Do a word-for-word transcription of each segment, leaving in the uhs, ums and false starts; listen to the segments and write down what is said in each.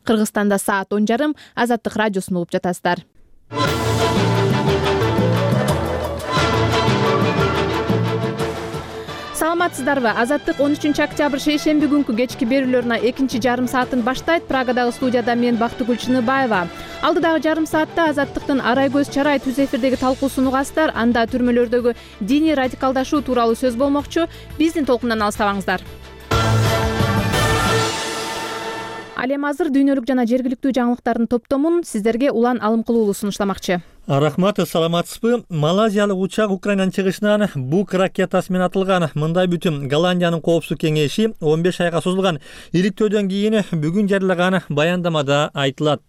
Кыргызстанда саат он жарым. Азаттык радиосун угуп жатасыздар. Саламатсыздарбы? Азаттык он үчүнчү октябрь шейшемби күнкү кечки берүүлөрүнө экинчи жарым саатын баштайт. Прагадагы студияда мен Бактыгүл Чыныбаева. Алдыдагы жарым саатта Азаттыктын Арай Көз Чарай түз эфирдеги талкуусун угасыздар. Анда түрмөлөрдөгү диний радикалдашуу тууралуу сөз болмокчу. Биздин толкундан алыстабаңыздар. Ал эми азыр дүйнөлүк жана жергиликтүү жаңылыктардын топтомун сиздерге улан алым кылуулуу сунуштамакчы. Рахмат, саламатсызбы? Малайзиялык учак Украинанын чыгышынан Бук ракетасы менен атылган. Мындай бүтүм Голландиянын коопсуздук кеңеши он беш айга созулган иликтөөдөн кийин бүгүн жарыялаган баяндамада айтылат.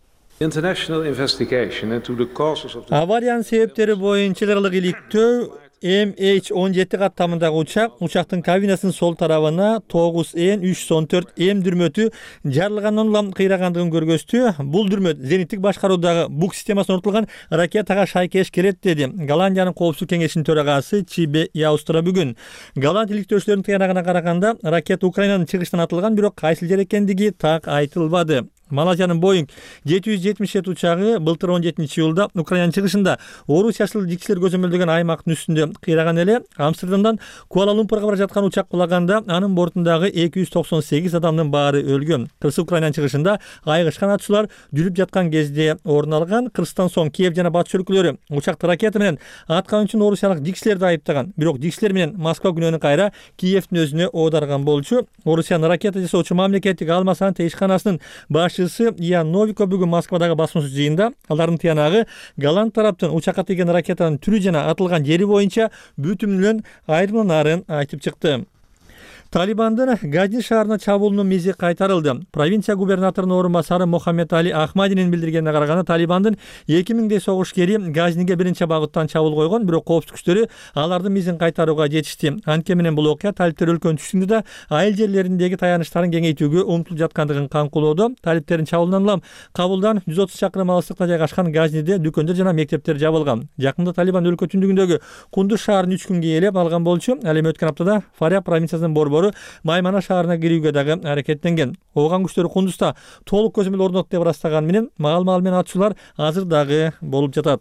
Авариянын себептери боюнча ылгы иликтөө эм эйч он жети каттамындагы учак, учактын кабинасынын сол тарабына тогуз эн үч жүз он төрт эм дүрмөтү жарылгандан улам кыйрагандыгын көргөздү. Бул дүрмөт зениттик башкаруудагы Бук системасына орнотулган ракетага шайкеш келет, деди Голландиянын коопсуздук кеңешинин төрагасы Чибе Яустра бүгүн. Голланд иликтөөчүлөрүнүн тыянагына караганда ракета Украинанын чыгышынан атылган, бирок кайсыл жер экендиги так айтылбады. Малайзиянын Боинг жети жүз жетимиш жети учагы былтыр он жетинчи июлда Украинанын чыгышында Орусиячыл жигчилер көзөмөлдөгөн аймактын үстүндө кыйраган эле. Амстердамдан Куала-Лумпурга бара жаткан учак кулаганда анын бортундагы эки жүз токсон сегиз адамдын баары өлгөн. Кыргыз Украинанын чыгышында айгыш канатчылар жүрүп жаткан кезде орун алган. Кыргызстан соң Киев жана батыш өлкөлөрү учакты ракета менен аткан үчүн орусиялык жигчилерди айыптаган. Бирок жигчилер менен Москва күнөөнү кайра Киевдин өзүнө оодарган болчу. Орусиянын ракета жасоочу мамлекеттик алма сандык ишканасынын башы Ян Новико бүгүн Москвадагы басмасөз жыйында алардын тыянагы Голланд тараптын учакка тийген ракетанын түрү жана атылган жери боюнча бүтүнүлөн айырмалаарын айтып чыкты. Талибандын Газни шаарына чабуулунун мизи кайтарылды. Провинция губернаторунун орун басары Мохаммед Али Ахмадинин билдиргенине караганда, Талибандын эки миңдей согушкери Газниге биринчи багыттан чабуул койгон, бирок коопсуздук күчтөрү алардын мизин кайтарууга жетишти. Анткени менен бул окуя талиптер өлкөнүн түштүгүндө да айыл жерлериндеги таяныштарын кеңейтүүгө умтулуп жаткандыгын канкулоодо. Талиптердин чабуулунан улам Кабулдан жүз отуз чакырым алыстыкта жайгашкан Газниде дүкөндөр жана мектептер жабылган. Жакында Талибан өлкө түндүгүндөгү Кундуз шаарын үч күнгө ээлеп алган болчу. Ал эми өткөн аптада Фаряб провинциясынын борбору Маймана шаарына кирүүгө дагы аракеттенген. Ооган күчтөрү Кундузда толук көзөмөл орнотот деп ырастаган менен маал-маал менен атышуулар азыр дагы болуп жатат.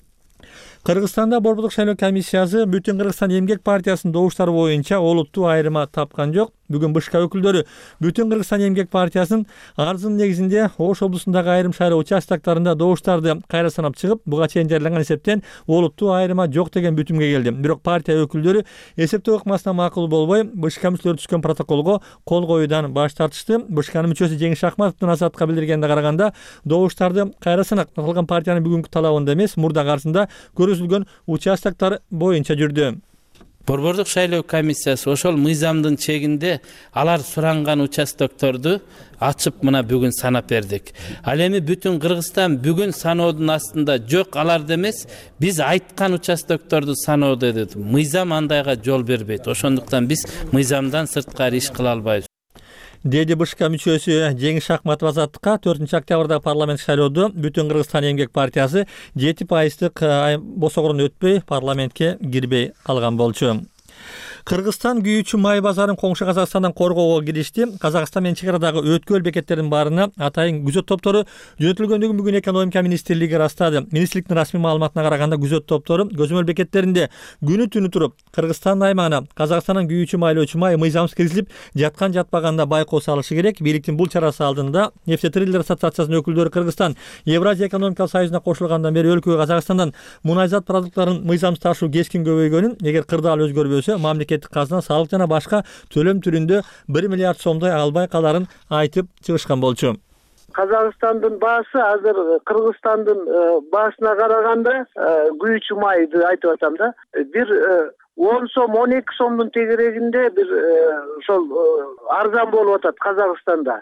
Кыргызстанда борбордук шайлоо комиссиясы Бүтүн Кыргызстан эмгек партиясынын добуштары боюнча олуттуу айырма тапкан жок. Бүгүн БШК өкүлдөрү Бүтүн Кыргызстан эмгек партиясынын арызынын негизинде Ош облусундагы айрым шайлоо участоктарында добуштарды кайра санап чыгып, буга чейин жарыяланган эсептен олуттуу айырма жок деген бүтүмгө келди. Бирок партия өкүлдөрү эсептөө ыкмасына макул болбой, БШК мүчөлөрү түзгөн протоколго кол коюудан баш тартышты. БШКнын мүчөсү Жеңиш Акматовдун Азаттыкка билдиргенине караганда, добуштарды кайра санак аталган партиянын бүгүнкү талабында эмес, мурдагы арызында көрсөтүлгөн участоктор боюнча жүрдү. Борбордук шайлоо комиссиясы ошол мыйзамдын чегинде алар суранган участокторду ачып мына бүгүн санап бердик. Ал эми Бүтүн Кыргызстан бүгүн саноодун астында жок, аларды эмес, биз айткан участокторду саноодо деди. Мыйзам андайга жол бербейт. Ошондуктан биз мыйзамдан сырткары иш кыла албайбыз, деди БШК мүчөсү Жеңиш Акматов Азаттыкка. төртүнчү октябрда парламент шайлоодо Бүтүн Кыргызстан эмгек партиясы жети пайыздык босогорун өтпөй парламентке кирбей калган болчу. Кыргызстан күйүүчү май базарын коңшу Казакстандан коргоого киришти. Казакстан менен чек арадагы өткөл бекеттердин баарына атайын күзөт топтору жөнөтүлгөндүгүн бүгүн экономика министрлиги ырастады. Министрликтин расмий маалыматына караганда, күзөт топтору көзөмөл бекеттеринде күнү түнү туруп Кыргызстан аймагына Казакстандан күйүүчү майлоочу май мыйзамсыз киргизилип жаткан жатпаганда байкоо салышы керек. Бийликтин бул чарасы алдында Нефтетрейдер ассоциациясынын өкүлдөрү Кыргызстан Евразия экономикалык союзуна кошулгандан бери өлкөгө Казакстандан мунайзат продуктларын мыйзамсыз ташуу кескин көбөйгөнүн, эгер кырдаал өзгөрбөсө мамлекеттик казына салык жана башка төлөм түрүндө бир миллиард сомдой албай каларын айтып чыгышкан болчу. Казакстандын баасы азыр Кыргызстандын баасына караганда, күйүүчү майды айтып атам да, бир он сом он эки сомдун тегерегинде бир ошол арзан болуп атат Казакстанда,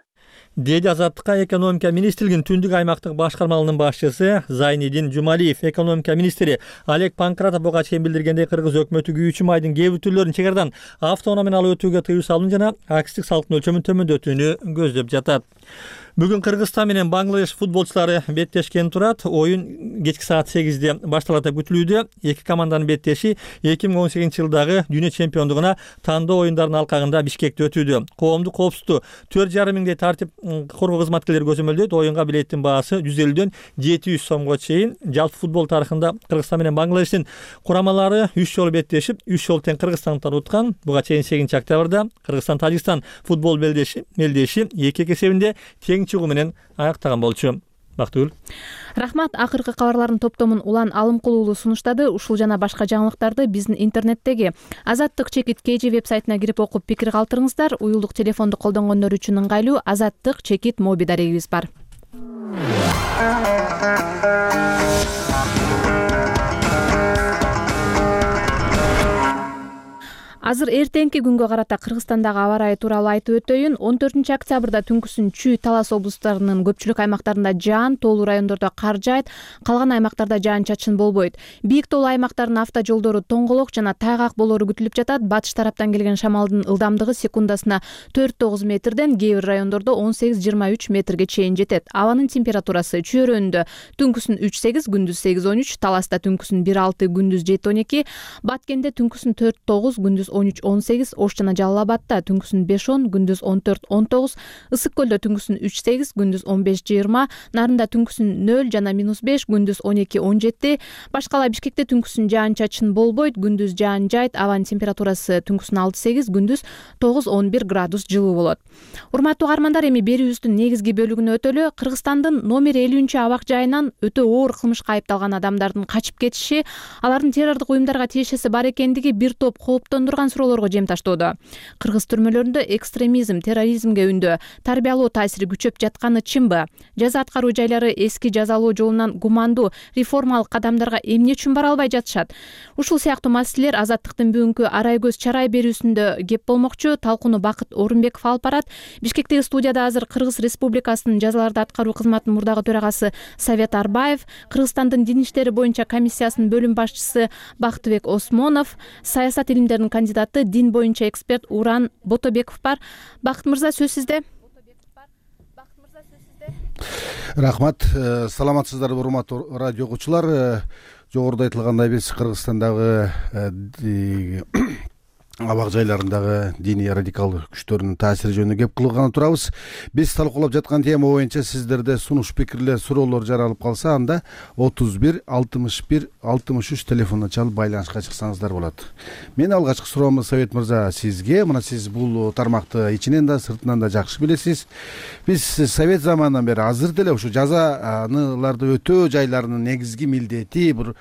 деди Азаттыкка экономика министрлигинин түндүк аймактык башкармалыгынын башчысы Зайнидин Жумалиев. Экономика министри Олег Панкратов буга чейин билдиргендей, Кыргыз өкмөтү күйүүчү майдын кээ бир түрлөрүн чек арадан автоунаа менен алып өтүүгө тыюу салууну жана акстик салыктын өлчөмүн төмөндөтүүнү көздөп жатат. Бүгүн Кыргызстан менен Бангладеш футболчулары беттешкен турат. Оюн кечки саат сегизде башталат деп күтүлүүдө. Эки команданын беттеши эки миң он сегизинчи жылдагы дүйнө чемпиондугуна тандоо оюндарынын алкагында Бишкекте өтүүдө. Коомдук коопсуздукту төрт жарым миңдей тартип коргоо кызматкерлери көзөмөлдөйт. Оюнга билеттин баасы жүз элүүдөн жети жүз сомго чейин. Жалпы футбол тарыхында Кыргызстан менен Бангладештин курамалары үч жолу беттешип, үч жолу тең Кыргызстандыктар уткан. Буга чейин сегизинчи октябрда Кыргызстан Тажикстан футбол белдеши мелдеши эки эки эсебинде тең чыгуу менен аяктаган болчу. Бактыгүл. Рахмат. Акыркы кабарлардын топтомун Улан Алымкул уулу сунуштады. Ушул жана башка жаңылыктарды биздин интернеттеги азаттык чекит kg вебсайтына кирип окуп пикир калтырыңыздар. Уюлдук телефонду колдонгондор үчүн ыңгайлуу азаттык чекит моби дарегибиз бар. Азыр эртеңки күнгө карата Кыргызстандагы аба ырайы тууралуу айтып өтөйүн. он төртүнчү октябрда түнкүсүн Чүй, Талас облустарынын көпчүлүк аймактарында жаан, тоолуу райондордо кар жаайт, калган аймактарда жаан-чачын болбойт. Бийик тоолуу аймактардын автожолдору тоңголок жана тайгак болору күтүлүп жатат. Батыш тараптан келген шамалдын ылдамдыгы секундасына төрт тогуз метрден, кээ бир райондордо он сегиз жыйырма үч метрге чейин жетет. Абанын температурасы Чүйөрөндө түнкүсүн үч сегиз, күндүз сегиз он үч, Таласта түнкүсүн бир алты, күндүз жети он эки, Баткенде түнкүсүн төрт тогуз, күндүз он үч он сегиз, Ош жана Жалал Абадта түнкүсүн беш он, күндүз он төрт он тогуз, Ысык көлдө түнкүсүн үч сегиз, күндүз он беш жыйырма, Нарында түнкүсүн нөл жана минус беш, күндүз он эки он жети, башкала Бишкекте түнкүсүн жаан-чачын болбойт, күндүз жаан жайт, абанын температурасы түнкүсүн алты сегиз, күндүз тогуз он бир градус жылуу болот. Урматтуу каармандар, эми берүүбүздүн негизги бөлүгүнө өтөлү. Кыргызстандын номер элүүнчү абак жайынан өтө оор кылмышка айыпталган адамдардын качып кетиши, алардын террордук уюмдарга тиешеси бар экендиги бир топ кооптондурган суроолорго жем таштоодо. Кыргыз түрмөлөрүндө экстремизм, терроризмге үндөө тарбиялоо таасири күчөп жатканы чынбы? Жаза аткаруу жайлары эски жазалоо жолунан гумандуу реформалык кадамдарга эмне үчүн бара албай жатышат? Ушул сыяктуу маселелер Азаттыктын бүгүнкү арай көз чарай берүүсүндө кеп болмокчу. Талкууну Бакыт Орунбеков алып барат. Бишкектеги студияда азыр Кыргыз Республикасынын жазаларды аткаруу кызматынын мурдагы төрагасы Совет Арбаев, Кыргызстандын дин иштери боюнча комиссиясынын бөлүм башчысы Бактыбек Осмонов, саясат илимдеринин кандидаты, дин боюнча эксперт Уран Ботобеков бар. Бакыт мырза, сөз сизде. Рахмат. Саламатсыздарбы, урматтуу радио окуучулар. Жогоруда айтылгандай, биз Кыргызстандагы абак жайларындагы диний радикал күчтөрдүн таасири жөнүндө кеп кылганы турабыз. Биз талкуулап жаткан тема боюнча сиздерде сунуш, пикирлер, суроолор жаралып калса, анда отуз бир алтымыш бир алтымыш үч телефонуна чалып байланышка чыксаңыздар болот. Мен алгачкы суроомду Совет мырза сизге. Мына сиз бул тармакты ичинен да сыртынан да жакшы билесиз. Биз Совет заманынан бери азыр деле ушу жазаларды өтөө жайларынын негизги милдети бир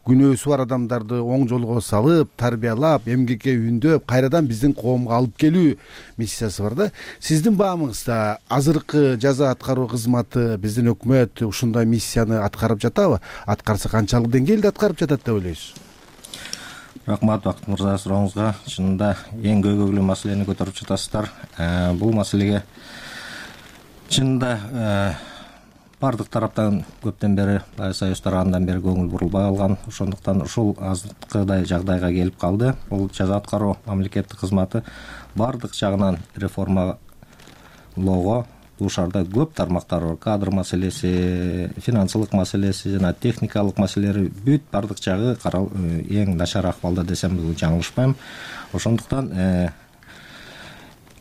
күнөөсү бар адамдарды оң жолго салып, тарбиялап, эмгекке үндө кайрадан биздин коомго алып келүү миссиясы бар да. Сиздин баамыңызда азыркы жаза аткаруу кызматы, биздин өкмөт ушундай миссияны аткарып жатабы? Аткарса канчалык деңгээлде аткарып жатат деп ойлойсуз? Рахмат, Бакыт мырза, сурооңузга. Чынында эң көйгөйлүү маселени көтөрүп жатасыздар. Бул маселеге чынында бардык тараптан көптөн бери, союздар андан бери көңүл бурулбай калган. Ошондуктан ушул азыркыдай жагдайга келип калды. Бул жаза аткаруу мамлекеттик кызматы бардык жагынан реформалоого дуушарда көп тармактар бар. Кадр маселеси, финансылык маселеси жана техникалык маселелери бүт бардык жагы эң начар акыбалда десем жаңылышпайм. Ошондуктан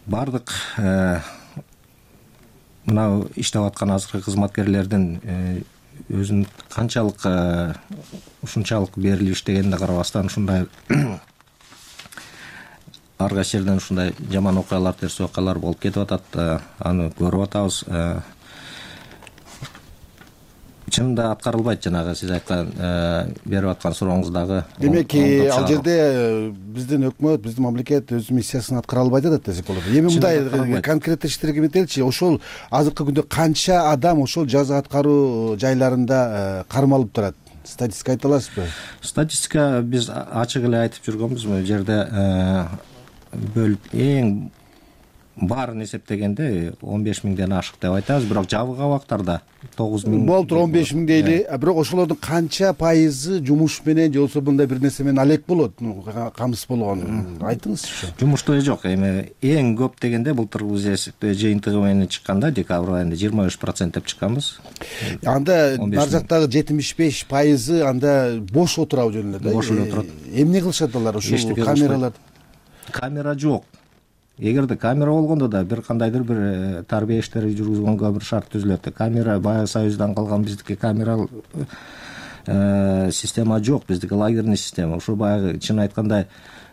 бардык мына иштеп аткан азыркы кызматкерлердин өзүн канчалык ушунчалык берилип иштегенине карабастан ушундай ар кайсы жерден ушундай жаман окуялар, терс окуялар болуп кетип атат. Аны көрүп атабыз. Чынында аткарылбайт, жанагы сиз айткан берип аткан сурооңуздагы. Демек, ал жерде биздин өкмөт, биздин мамлекет өз миссиясын аткара албай жатат десек болот. Эми мындай конкреттештирге метеличи, ошол азыркы күндө канча адам ошол жаза аткаруу жайларында кармалып турат? Статистика айта аласызбы? Статистика биз ачык эле айтып жүргөнбүз. Бул жерде бөлүп эң баарын эсептегенде он беш миңден ашык деп айтабыз, бирок жабык абактарда тогуз миң болуп тур, он беш миң дейли. Бирок ошолордун канча пайызы жумуш менен же болбосо мындай бир нерсе менен алек болот, камсыз болгон? Айтыңызчы. Жумуштуу жок. Эми эң көп дегенде былтыр биз эсептөө жыйынтыгы менен чыкканда декабрь айында жыйырма беш процент деп чыкканбыз. Анда нар жактагы жетимиш беш пайызы анда бош отурабы жөнүндө да. Бош эле отурат. Эмне кылышат алар ушул камералар? Камера жок. эгерде камера болгондо да бир кандайдыр бир тарбия иштери жүргүзгөнгө бир шарт түзүлөт. Камера баягы Союздан калган биздики камералык система жок, биздики лагерный система. Ошо баягы чын айтканда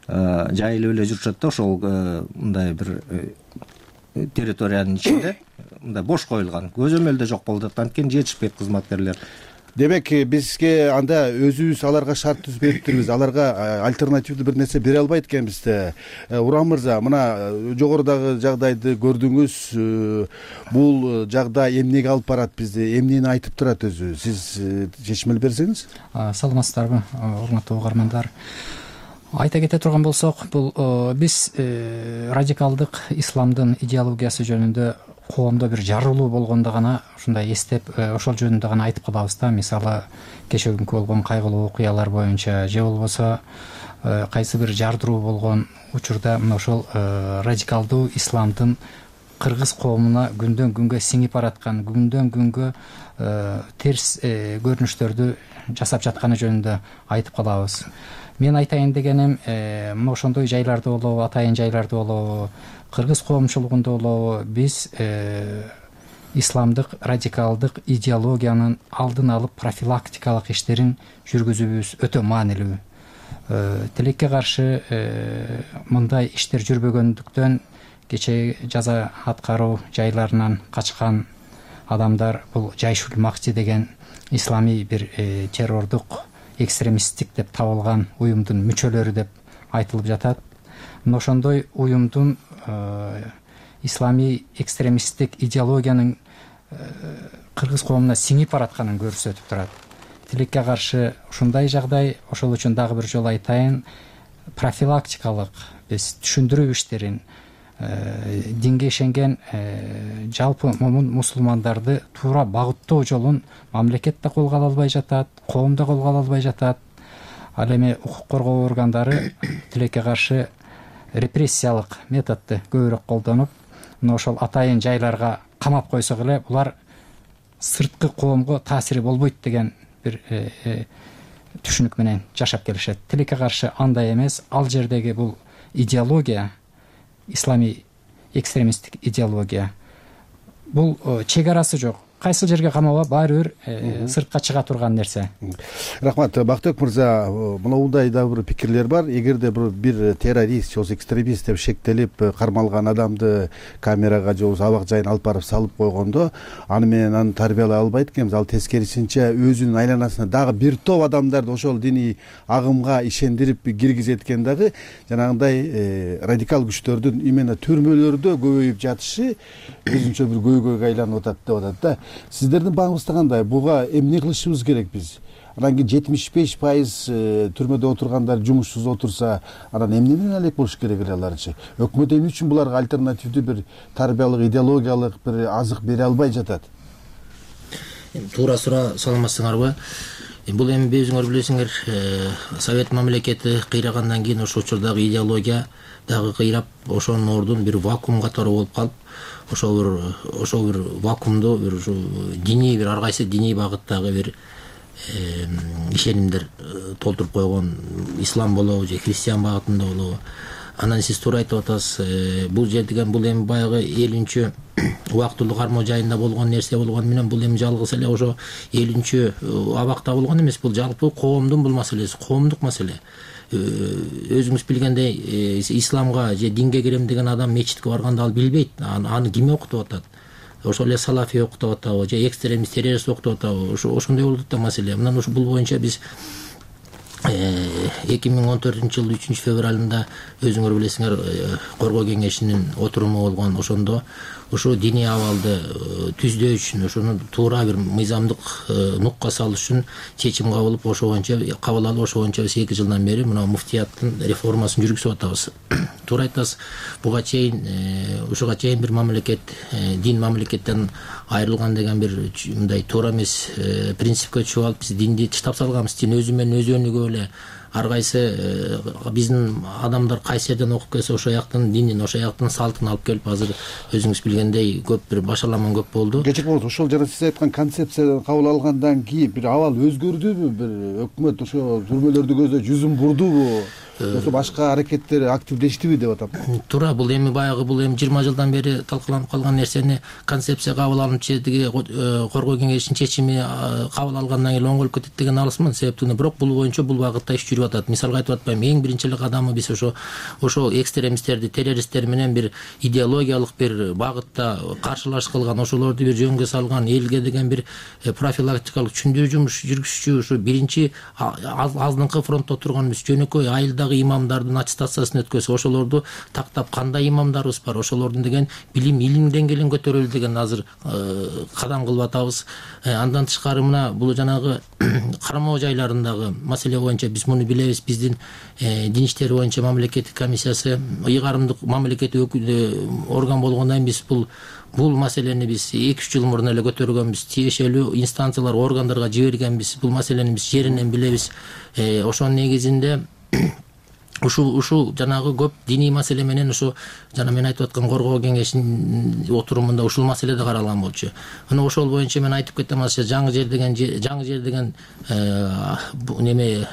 жайылып эле жүрүшөт да, ошол мындай бир территориянын ичинде мындай бош коюлган, көзөмөлдө жок болуп жатат, анткени жетишпейт кызматкерлер. Демек бизге анда өзүбүз аларга шарт түзүп бериптирбиз, аларга альтернативдүү бир нерсе бере албайт экенбиз да. Урам мырза, мына жогорудагы жагдайды көрдүңүз. Бул жагдай эмнеге алып барат бизди, эмнени айтып турат өзү? Сиз чечмел берсеңиз. Саламатсыздарбы, урматтуу угармандар. Айта кете турган болсок, бул биз радикалдык исламдын идеологиясы жөнүндө коомдо бир жарылуу болгондо гана ушундай эстеп, ошол жөнүндө гана айтып калабыз да. Мисалы, кечеүгүнкү болгон кайгылуу окуялар боюнча же болбосо кайсы бир жардыруу болгон учурда мына ошол радикалдуу исламдын кыргыз коомуна күндөн күнгө сиңип бараткан, күндөн күнгө терс көрүнүштөрдү жасап жатканы жөнүндө айтып калабыз. Мен айтайын дегеним, мына ошондой жайларда болобу, атайын жайларда болобу, кыргыз коомчулугунда болобу, биз исламдык радикалдык идеологиянын алдын алып профилактикалык иштерин жүргүзүүбүз өтө маанилүү. Тилекке каршы мындай иштер жүрбөгөндүктөн кечээ жаза аткаруу жайларынан качкан адамдар бул Жайшул Макчи деген исламий бир террордук экстремисттик деп табылган уюмдун мүчөлөрү деп айтылып жатат. Мына ошондой уюмдун исламий экстремисттик идеологиянын кыргыз коомуна сиңип баратканын көрсөтүп турат. Тилекке каршы ушундай жагдай, ошол үчүн дагы бир жолу айтайын, профилактикалык биз түшүндүрүү иштерин динге ишенген жалпы момун мусулмандарды туура багыттоо жолун мамлекет да колго ала албай жатат, коом да колго ала албай жатат. Ал эми укук коргоо органдары тилекке каршы репрессиялык методду көбүрөөк колдонуп, мына ошол атайын жайларга камап койсок эле булар сырткы коомго таасири болбойт деген бир түшүнүк менен жашап келишет. Тилекке каршы андай эмес. Ал жердеги бул идеология, исламий экстремисттик идеология, бул чек арасы жок. Кайсы жерге камаба баары бир сыртка чыга турган нерсе. Рахмат. Бактыбек мырза, мындай да бир пикирлер бар. Эгерде бир террорист же экстремист деп шектелип кармалган адамды камерага же абак жайына алып барып салып койгондо, аны менен аны тарбиялай албайт экенбиз. Ал тескерисинче өзүнүн айланасына дагы бир топ адамдарды ошол диний агымга ишендирип киргизет экен дагы. Жанагындай радикал күчтөрдүн именно түрмөлөрдө көбөйүп жатышы өзүнчө бир көйгөйгө айланып атат деп атат да. Сиздердин багыңызда кандай? Буга эмне кылышыбыз керек биз? Анан кийин жетимиш беш пайыз түрмөдө отургандар жумушсуз отурса, анан эмне менен алек болуш керек эле аларчы? Өкмөт эмне үчүн буларга альтернативдүү бир тарбиялык, идеологиялык бир азык бере албай жатат? Туура суроо, саламатсыңарбы? Бул эми өзүңөр билесиңер, Совет мамлекети кыйрагандан кийин ошол учурдагы идеология дагы кыйрап, ошонун ордун бир вакуум катары болуп калып, ошол бир ошол бир вакуумду бир диний бир ар кайсы диний багыттагы бир ишенимдер толтуруп койгон, ислам болобу же христиан багытында болобу. Анан сиз туура айтып атасыз, бул жер деген бул эми баягы элүүнчү убактылуу кармоо жайында болгон нерсе болгону менен бул эми жалгыз эле ошо элүүнчү абакта болгон эмес, бул жалпы коомдун бул маселеси, коомдук маселе. Өзүңүз билгендей, исламга же динге кирем деген адам мечитке барганда ал билбейт, аны ким окутуп атат. Ошол эле салафи окутуп атабы же экстремист, террорист окутуп атабы, ошондой болуп атат да маселе. Мындан ушу бул боюнча биз эки миң он төртүнчү жылдын үчүнчү февралында өзүңөр билесиңер, коргоо кеңешинин отуруму болгон. Ошондо ошо диний абалды түздөө үчүн, ошону туура бир мыйзамдык нукка салыш үчүн чечим кабыл алып, ошо боюнча кабыл алып, ошо боюнча биз эки жылдан бери мына муфтияттын реформасын жүргүзүп атабыз. Туура айтасыз, буга чейин ушуга чейин бир мамлекет, дин мамлекеттен айрылган деген бир мындай туура эмес принципке чыгып алып, биз динди таштап салганбыз. Дин өзү менен өзү өнүгүп эле ар кайсы биздин адамдар кайсы жерден окуп келсе ошол жактын динин, ошол жактын салтын алып келип, азыр өзүңүз билгендей көп бир башаламан көп болду. Кечик болсо ошол жана сиз айткан концепциядан кабыл алгандан кийин бир абал өзгөрдүбү? Бир өкмөт ошо түрмөлөрдү көздөй жүзүн бурдубу? ошо башка аракеттер активдештиби деп атам. Туура, бул эми баягы бул эми жыйырма жылдан бери талкууланып калган нерсени концепция кабыл алынып тиги коргоо кеңешинин чечими кабыл алгандан кийин оңголуп кетет деген алысмын. Себептен бирок бул боюнча бул багытта иш жүрүп атат. Мисалга айтып атпайм, эң биринчи эле кадамы биз ошо ошо экстремисттерди, террористтер менен бир идеологиялык бир багытта каршылаш кылган, ошолорду бир жөнгө салган, элге деген бир профилактикалык түшүндүрүү жумуш жүргүзүшчү ушу биринчи алдыңкы фронтто турганыбыз жөнөкөй айылдагы имамдардын аттестациясын өткөзүп, ошолорду тактап кандай имамдарыбыз бар, ошолордун деген билим илим деңгээлин көтөрөлү деген азыр кадам кылып атабыз. Андан тышкары мына бул жанагы кармоо жайларындагы маселе боюнча биз муну билебиз. Биздин дин иштери боюнча мамлекеттик комиссиясы ыйгарымдык мамлекеттик орган болгондон кийин биз бул бул маселени биз эки үч жыл мурун эле көтөргөнбүз. Тиешелүү инстанциялар, органдарга жибергенбиз. Бул маселени биз жеринен билебиз. Ошонун негизинде ушул ушул жанагы көп диний маселе менен ошо жана мен айтып аткан коргоо кеңешинин отурумунда ушул маселе да каралган болчу. Мына ошол боюнча мен айтып кетем, азыр жаңы жер деген жаңы жер деген неме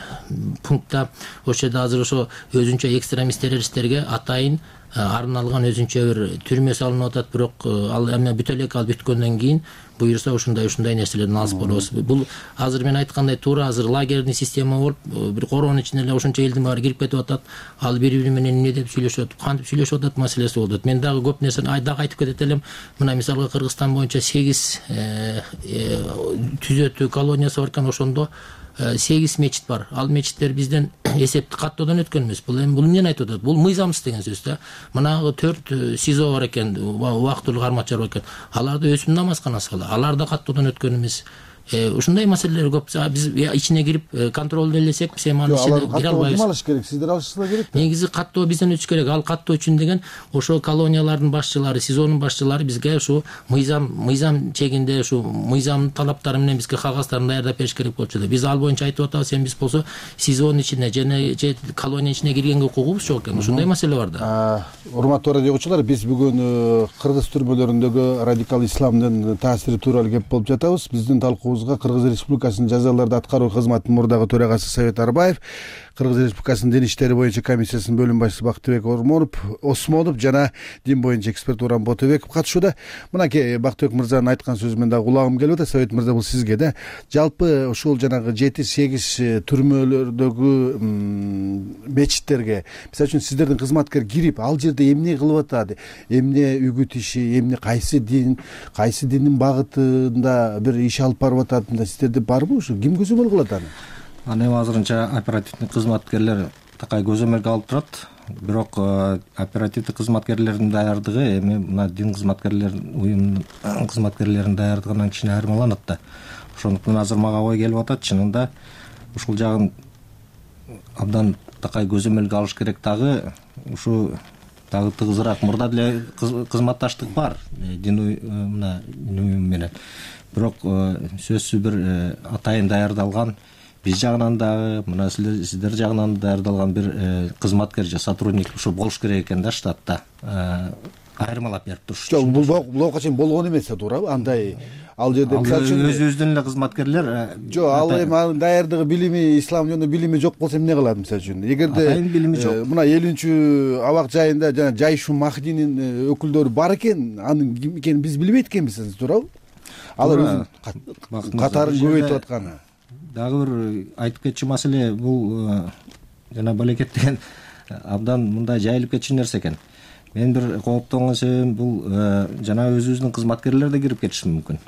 пунктта ошол жерде азыр ошо өзүнчө экстремист террористтерге атайын арналган өзүнчө бир түрмө салынып атат. Бирок ал эми бүтө элек ал бүткөндөн кийин буюрса ушундай ушундай нерселерден алыс болобуз. Бул азыр мен айткандай туура азыр лагерный система болуп бир короонун ичине эле ошончо элдин баары кирип кетип атат. Ал бири бири менен эмне деп сүйлөшөт, кантип сүйлөшүп атат маселеси болуп атат. Мен дагы көп нерсени дагы айтып кетет элем. Мына мисалга Кыргызстан боюнча сегиз түзөтүү колониясы бар экен, ошондо сегиз мечит бар. Ал мечиттер бизден эсепти каттоодон өткөн эмес. Бул эми бул эмнени айтып атат? Бул мыйзамсыз деген сөз да. Мынагы төрт СИЗО бар экен, убактылуу кармакчылар бар экен. Аларда өсүм намазканасы бар. Алар да каттоодон өткөн эмес. Ушундай маселелер көп. Биз ичине кирип контролду элесек, биз эми анын ичине кире албайбыз. Ким алыш керек? Сиздер алышыңыздар керек да. Негизи каттоо бизден өтүш керек. Ал каттоо үчүн деген ошо колониялардын башчылары, СИЗОнун башчылары бизге ушу мыйзам мыйзам чегинде ушу мыйзамдын талаптары менен бизге кагаздарын даярдап бериш керек болчу да. Биз ал боюнча айтып атабыз. Эми биз болсо СИЗОнун ичине жана же колониянын ичине киргенге укугубуз жок экен. Ушундай маселе бар да. Урматтуу радио угуучулар, биз бүгүн кыргыз түрмөлөрүндөгү радикал исламдын таасири тууралуу кеп болуп жатабыз. Биздин талкуубузга Кыргыз Республикасынын жазаларды аткаруу кызматынын мурдагы төрагасы Совет Арбаев, Кыргыз Республикасынын дин иштери боюнча комиссиясынын бөлүм башчысы Бактыбек Осмонов жана дин боюнча эксперт Урам Ботобеков катышууда. Мынакей Бактыбек мырзанын айткан сөзү мен дагы кулагым келип атат. Совет мырза, бул сизге да. Жалпы ушул жанагы жети сегиз түрмөлөрдөгү мечиттерге, мисалы үчүн сиздердин кызматкер кирип, ал жерде эмне кылып атат, эмне үгүт иши, эмне кайсы дин, кайсы диндин багытында бир иш алып барып атат, сиздерде барбы ушу? Ким көзөмөл кылат аны? Аны азырынча оперативдик кызматкерлер такай көзөмөлгө алып турат. Бирок оперативдик кызматкерлердин даярдыгы эми мына дин кызматкерлеринин уюмдун кызматкерлеринин даярдыгынан кичине айырмаланат да. Ошондуктан азыр мага ой келип атат, чынында ушул жагын абдан такай көзөмөлгө алыш керек. Дагы ушу дагы тыгызыраак мурда деле кызматташтык бар дин мына уюм менен. Бирок сөзсүз бир атайын даярдалган, биз жагынан дагы мына сиздер жагынан даярдалган бир кызматкер же сотрудник ушу болуш керек экен да штатта. Айырмалап берип туруш. Жок, бул буга чейин болгон эмес да, туурабы? Андай ал жерде мисалы үчүн өзүбүздүн эле кызматкерлер жок, ал эми анын даярдыгы, билими, ислам жөнүндө билими жок болсо эмне кылат мисалы үчүн? Эгерде атайын билими жок, мына элүүнчү абак жайында жана Жайшу Махдинин өкүлдөрү бар экен, анын ким экенин биз билбейт экенбиз, туурабы? Алар өзүнүн катарын көбөйтүп атканы. Дагы бир айтып кетчү маселе бул жана балекет деген абдан мындай жайылып кетчү нерсе экен. Мен бир кооптонгон себебим бул жана өзүбүздүн кызматкерлер да кирип кетиши мүмкүн.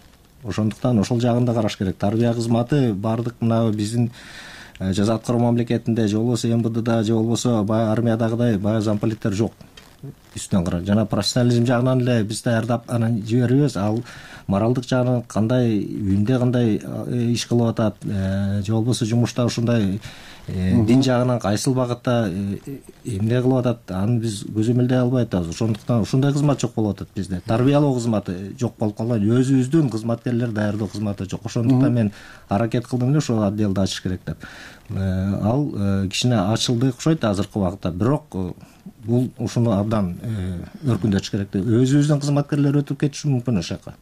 Ошондуктан ошол жагын да караш керек. Тарбия кызматы баардык мына биздин жаза аткаруу мамлекетинде же болбосо эм бэ дда же болбосо баягы армиядагыдай баягы замполиттер жок. Үстүнөн карап жана профессионализм жагынан эле биз даярдап анан жиберебиз. Ал моралдык жагынан кандай үйүндө кандай иш кылып атат, же болбосо жумушта ушундай дин жагынан кайсыл багытта эмне кылып атат, аны биз көзөмөлдөй албай атабыз. Ошондуктан ушундай кызмат жок болуп атат бизде. Тарбиялоо кызматы жок болуп калган, өзүбүздүн кызматкерлер даярдоо кызматы жок. Ошондуктан мен аракет кылдым эле ошол отделди ачыш керек деп. Ал кичине ачылды окшойт азыркы убакытта, бирок бул ушуну абдан өркүндөтүш керек деп. Өзүбүздүн кызматкерлер өтүп кетиши мүмкүн ошол жака.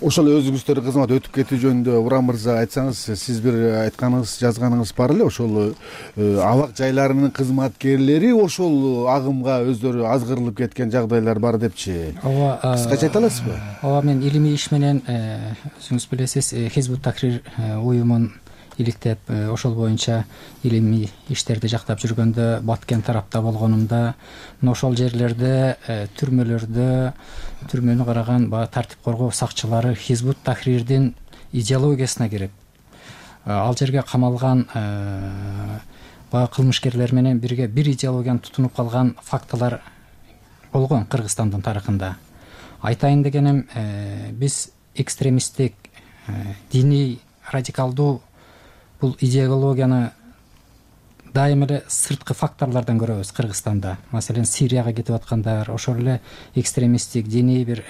Ошол өзүңүздөр кызмат өтүп кетүү жөнүндө Урам мырза айтсаңыз, сиз бир айтканыңыз, жазганыңыз бар эле, ошол абак жайларынын кызматкерлери ошол агымга өздөрү азгырылып кеткен жагдайлар бар депчи. Ооба, кыскача айта аласызбы? Ооба, мен илимий иш менен, өзүңүз билесиз, Хизбут Тахрир уюмун иликтеп, ошол боюнча илимий иштерди жактап жүргөндө, Баткен тарапта болгонумда, ошол жерлерде түрмөлөрдө түрмөнү караган баягы тартип коргоо сакчылары Хизбут Тахрирдин идеологиясына кирип, ал жерге камалган баягы кылмышкерлер менен бирге бир идеологияны тутунуп калган фактылар болгон Кыргызстандын тарыхында. Айтайын дегеним, биз экстремисттик, диний, радикалдуу бул идеологияны дайым эле сырткы факторлордон көрөбүз Кыргызстанда. Маселен, Сирияга кетип аткандар, ошол эле экстремисттик, диний бир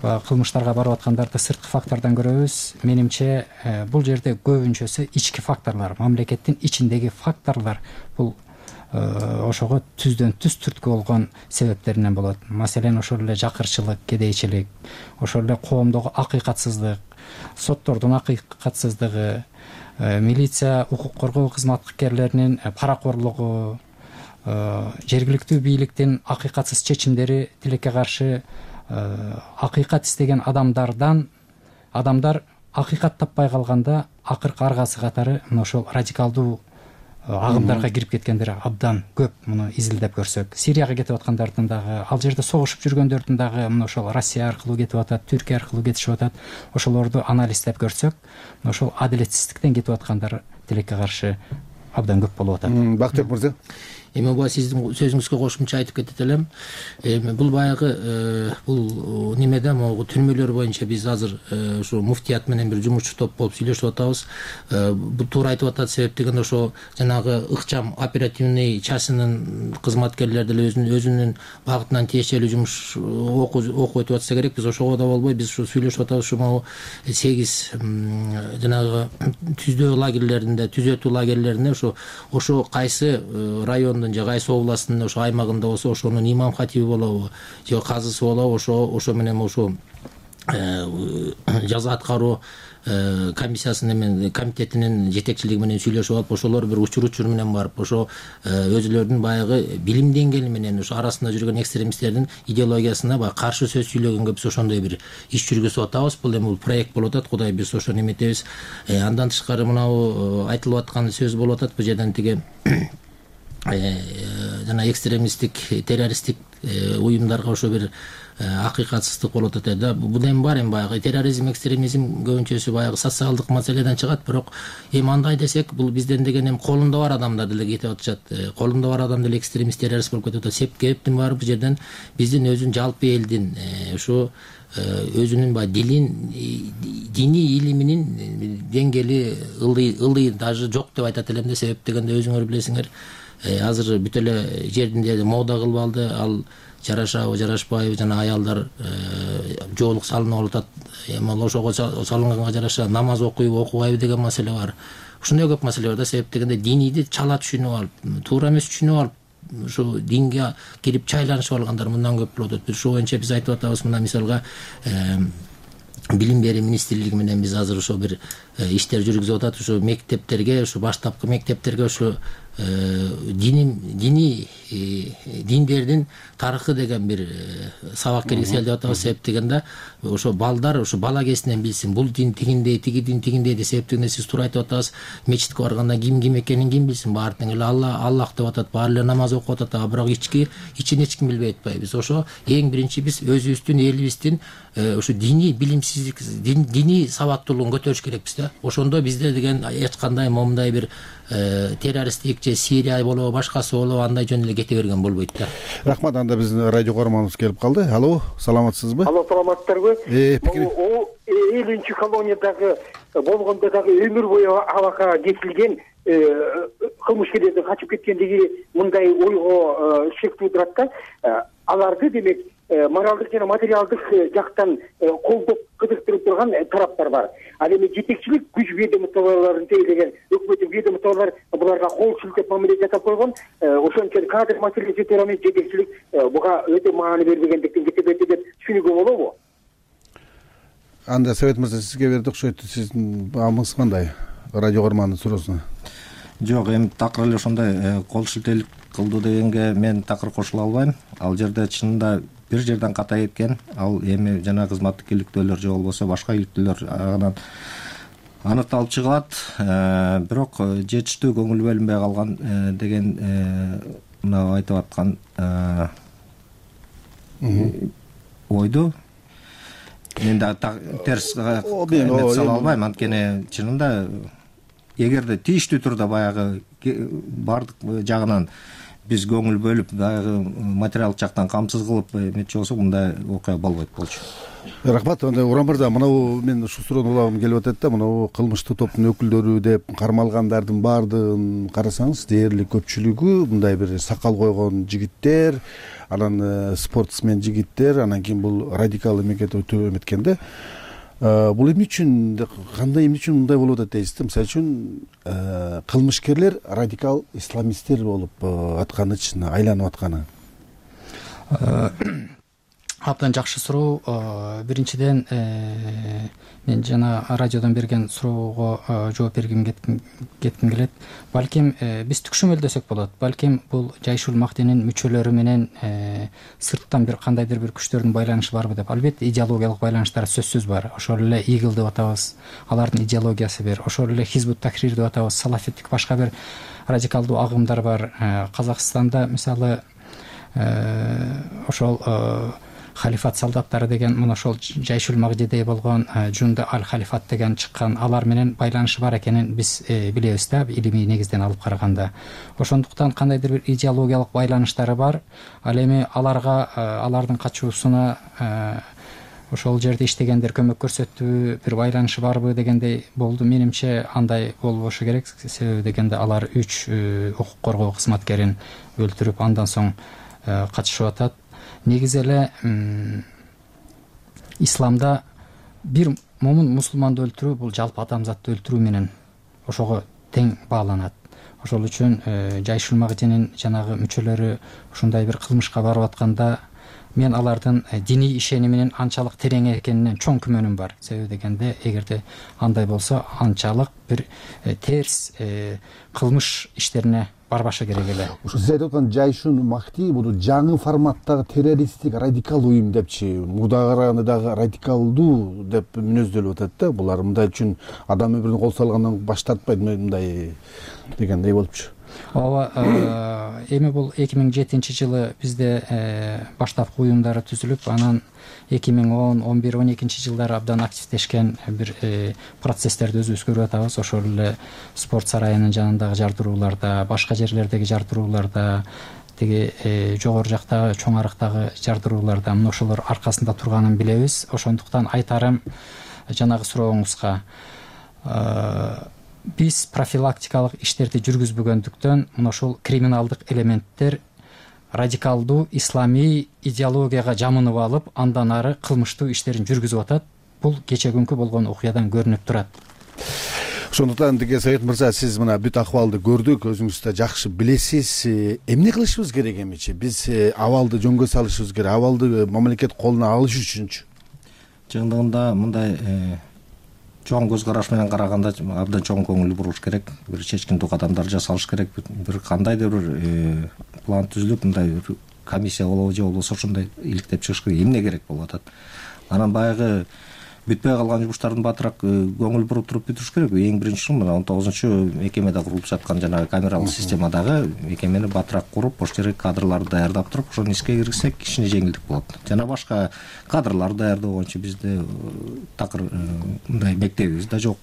кылмыштарга барып аткандарды сырткы фактордон көрөбүз. Менимче, бул жерде көбүнчөсү ички факторлор, мамлекеттин ичиндеги факторлор бул ошого түздөн түз түрткү болгон себептеринен болот. Маселен, ошол эле жакырчылык, кедейчилик, ошол эле коомдогу акыйкатсыздык, соттордун акыйкатсыздыгы, милиция, укук коргоо кызматкерлеринин паракорлугу, жергиликтүү бийликтин акыйкатсыз чечимдери, тилекке каршы акыйкат истеген адамдардан адамдар акыйкат таппай калганда акыркы аргасы катары мына ошол радикалдуу агымдарга кирип кеткендер абдан көп. Муну изилдеп көрсөк, Сирияга кетип аткандардын дагы, ал жерде согушуп жүргөндөрдүн дагы мына ошол Россия аркылуу кетип атат, Түркия аркылуу кетишип атат. Ошолорду анализдеп көрсөк, мына ошол адилетсиздиктен кетип аткандар тилекке каршы абдан көп болуп атат. Бактыбек мырза, эми буга сиздин сөзүңүзгө кошумча айтып кетет элем. Эми бул баягы бул немеде могу түрмөлөр боюнча биз азыр ушу муфтият менен бир жумушчу топ болуп сүйлөшүп атабыз. Бул туура айтып атат, себеп дегенде ошо жанагы ыкчам оперативный частынын кызматкерлери деле өзүнүн өзүнүн багытынан тиешелүү жумуш окуу өтүп атса керек. Биз ошого да болбой, биз ушу сүйлөшүп атабыз. Ушу могу сегиз жанагы түздөө лагерлеринде, түзөтүү лагерлеринде ошо ошо кайсы район же кайсы областын ошо аймагында болсо, ошонун имам хатиби болобу же казысы болобу, ошо ошо менен ошо жаза аткаруу комиссиясынын менен комитетинин жетекчилиги менен сүйлөшүп алып, ошолор бир учур учур менен барып, ошо өзүлөрүнүн баягы билим деңгээли менен ошо арасында жүргөн экстремисттердин идеологиясына баягы каршы сөз сүйлөгөнгө биз ошондой бир иш жүргүзүп атабыз. Бул эми бул проект болуп атат. Кудай биз ошону эметебиз. Андан тышкары мынабу айтылып аткан сөз болуп атат. Бул жерден тиги жана экстремисттик, террористтик уюмдарга ошо бир акыйкатсыздык болуп атат да. Бул эми бар, эми баягы терроризм, экстремизм көбүнчөсү баягы социалдык маселеден чыгат, бирок эми андай десек, бул бизден деген эми колунда бар адамдар деле кетип атышат. Колунда бар адам деле экстремист, террорист болуп кетип атат. Себептин баары бул жерден биздин өзүн жалпы элдин ушу өзүнүн баягы дилин, диний илиминин деңгээли ылдый ылдый даже жок деп айтат элем да. Себеп дегенде өзүңөр билесиңер, азыр бүт эле жеринде мода кылып алды. Ал жарашабы, жарашпайбы, жана аялдар жоолук салынып алып атат. Эми ошого салынганга жараша намаз окуйбу, окубайбы деген маселе бар. Ушундай көп маселе бар да. Себеп дегенде динийди чала түшүнүп алып, туура эмес түшүнүп алып, ушу динге кирип чайланышып алгандар мындан көп болуп атат. Ошол боюнча биз айтып атабыз, мына мисалга билим берүү министрлиги менен биз азыр ошо бир иштер жүргүзүп атат. Ушу мектептерге, ушу баштапкы мектептерге ушу диний диний диндердин тарыхы деген бир сабак киргизели деп атабыз. Себеп дегенде ошо балдар ошо бала кезинен билсин, бул дин тигиндей, тиги дин тигиндей деп. Себеп дегенде сиз туура айтып атасыз, мечитке барганда ким ким экенин ким билсин? Баары тең эле Алла, Аллах деп атат, баары эле намаз окуп атат, бирок ички ичин эч ким билбей атпайбыз. Ошо эң биринчи биз өзүбүздүн элибиздин ушу диний билимсиздик, диний сабаттуулугун көтөрүш керекпиз да. Ошондо бизде деген эч кандай момундай бир террористтик же Сирия болобу, башкасы болобу, андай жөн эле кете берген болбойт да. Рахмат. Анда биздин радио көрөрманыбыз келип калды. Алло, саламатсызбы? Алло, саламатсыздарбы? Пикир элүүнчү колониядагы болгондо дагы өмүр бою абакка кетилген кылмышкерлердин качып кеткендиги мындай ойго шек туудурат да. Аларды демек моралдык жана материалдык жактан колдоп кызыктырып турган тараптар бар. Ал эми жетекчилик күч ведомстволорун тейлеген өкмөттүн ведомстволору буларга кол шилтеп мамиле жасап койгон. Ошон үчүн кадр маселеси тууралуу жетекчилик буга өтө маани бербегендиктен кетебети деп түшүнүүгө болобу? анда Совет мырза сизге берди окшойт. Сиздин баамыңыз кандай радио угармандын суроосуна? Жок, эми такыр эле ошондой кол шилтелик кылды дегенге мен такыр кошула албайм. Ал жерде чынында бир жерден ката кеткен. Ал эми жана кызматтык иликтөөлөр же болбосо башка иликтөөлөр анан аныкталып чыгат. Бирок жетиштүү көңүл бөлүнбөй калган деген мына айтып аткан ойду мен да терс эметип сала албайм. Анткени чынында эгерде тийиштүү турда баягы баардык жагынан биз көңүл бөлүп баягы материалдык жактан камсыз кылып эметчү болсок мындай окуя болбойт болчу. Рахмат. Анда Урам мырза, мынабу мен ушул суроону улагым келип атат да, мынабу кылмыштык топтун өкүлдөрү деп кармалгандардын баардыгын карасаңыз, дээрлик көпчүлүгү мындай бир сакал койгон жигиттер, анан спортсмен жигиттер, анан кийин бул радикал эмекет өтө эметкен да. Бул эмне үчүн, кандай эмне үчүн мындай болуп атат дейсиз да? Мисалы үчүн кылмышкерлер радикал исламисттер болуп атканы, айланып атканы. Абдан жакшы суроо. Биринчиден мен жана радиодон берген суроого жооп бергим кетким келет. Балким биз түкшөмөлдөсөк болот. Балким бул Жайшул Махдинин мүчөлөрү менен сырттан бир кандайдыр бир күчтөрдүн байланышы барбы деп. Албетте идеологиялык байланыштар сөзсүз бар. Ошол эле Игил деп атабыз, алардын идеологиясы бир. Ошол эле Хизбут Тахрир деп атабыз, салафиттик башка бир радикалдуу агымдар бар. Казакстанда мисалы ошол халифат солдаттары деген мына ошол Жайшул Магдидей болгон Жунда аль халифат деген чыккан, алар менен байланышы бар экенин биз билебиз да, илимий негизден алып караганда. Ошондуктан кандайдыр бир идеологиялык байланыштары бар. Ал эми аларга алардын качуусуна ошол жерде иштегендер көмөк көрсөттүбү, бир байланышы барбы дегендей болду. Менимче андай болбошу керек. Себеби дегенде алар үч укук коргоо кызматкерин өлтүрүп, андан соң качышып атат. Негизи эле исламда бир момун мусулманды өлтүрүү бул жалпы адамзатты өлтүрүү менен ошого тең бааланат. Ошол үчүн Жайшул Магдинин жанагы мүчөлөрү ушундай бир кылмышка барып атканда мен алардын диний ишениминин анчалык терең экенине чоң күмөнүм бар. Себеби дегенде эгерде андай болсо анчалык бир терс кылмыш иштерине барбашы керек эле. Ушу сиз айтып аткан Жайшул Махди бул жаңы форматтагы террористтик радикал уюм депчи, мурдага караганда дагы радикалдуу деп мүнөздөлүп атат да. Булар мындай үчүн адам өмүрүн кол салгандан баш тартпайт мындай дегендей болупчу. Ооба, эми бул эки миң жетинчи жылы бизде баштапкы уюмдары түзүлүп, анан эки миң он, он бир, он экинчи жылдары абдан активдешкен бир процесстерди өзүбүз көрүп атабыз. Ошол эле спорт сарайынын жанындагы жардырууларда, башка жерлердеги жардырууларда, тиги жогору жактагы чоң арыктагы жардырууларда мына ошолор аркасында турганын билебиз. Ошондуктан айтарым жанагы сурооңузга, биз профилактикалык иштерди жүргүзбөгөндүктөн мына ошол криминалдык элементтер радикалдуу исламий идеологияга жамынып алып, андан ары кылмыштуу иштерин жүргүзүп атат. Бул кече күнкү болгон окуядан көрүнүп турат. Ошондуктан деге Совет мырза, сиз мына бүт акыбалды көрдүк, өзүңүз да жакшы билесиз. Эмне кылышыбыз керек эмичи? Биз абалды жөнгө салышыбыз керек, абалды мамлекет колуна алыш үчүнчү. Чындыгында мындай чоң көз караш менен караганда абдан чоң көңүл буруш керек. Бир чечкиндүү кадамдар жасалыш керек. Бир кандайдыр бир план түзүлүп, мындай бир комиссия болобу же болбосо ошондой иликтеп чыгыш керек. Эмне керек болуп атат? Анан баягы бүтпөй калган жумуштардын батыраак көңүл буруп туруп бүтүрүш керек. Эң биринчи мына он тогузунчу мекемеде курулуп жаткан жанагы камералык системадагы мекемени батыраак куруп, ошол жерге кадрларды даярдап туруп, ошону ишке киргизсек кичине жеңилдик болот. Жана башка кадрларды даярдоо боюнча бизде такыр мындай мектебибиз да жок,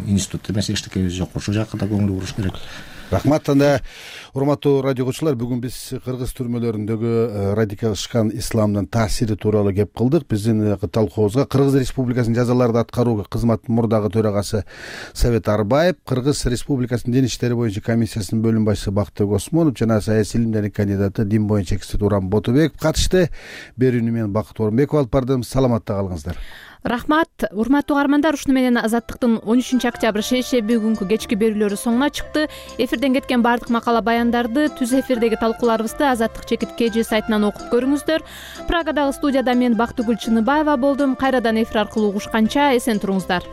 институт эмес эчтекебиз жок. Ошол жакка да көңүл буруш керек. Рахмат. Анда урматтуу радио көрүүчүлөр, бүгүн биз кыргыз түрмөлөрүндөгү радикалдашкан исламдын таасири тууралуу кеп кылдык. Биздин талкуубузга Кыргыз Республикасынын жазаларды аткаруу кызматынын мурдагы төрагасы Совет Арбаев, Кыргыз Республикасынын дин иштери боюнча комиссиясынын бөлүм башчысы Бактыбек Осмонов жана саясий илимдердин кандидаты, дин боюнча эксперт Урам Ботубеков катышты. Берүүнү мен Бакыт Орунбеков алып бардым. Саламатта калыңыздар. Рахмат, урматтуу угармандар. Ушуну менен Азаттыктын он үчүнчү октябрь шейшемби күнкү кечки берүүлөрү соңуна чыкты. Эфирден кеткен бардык макала баяндарды түз эфирдеги талкууларыбызды Азаттык чекит kg сайтынан окуп көрүңүздөр. Прагадагы студияда мен Бактыгүл Чыныбаева болдум. Кайрадан эфир аркылуу угушканча эсен туруңуздар.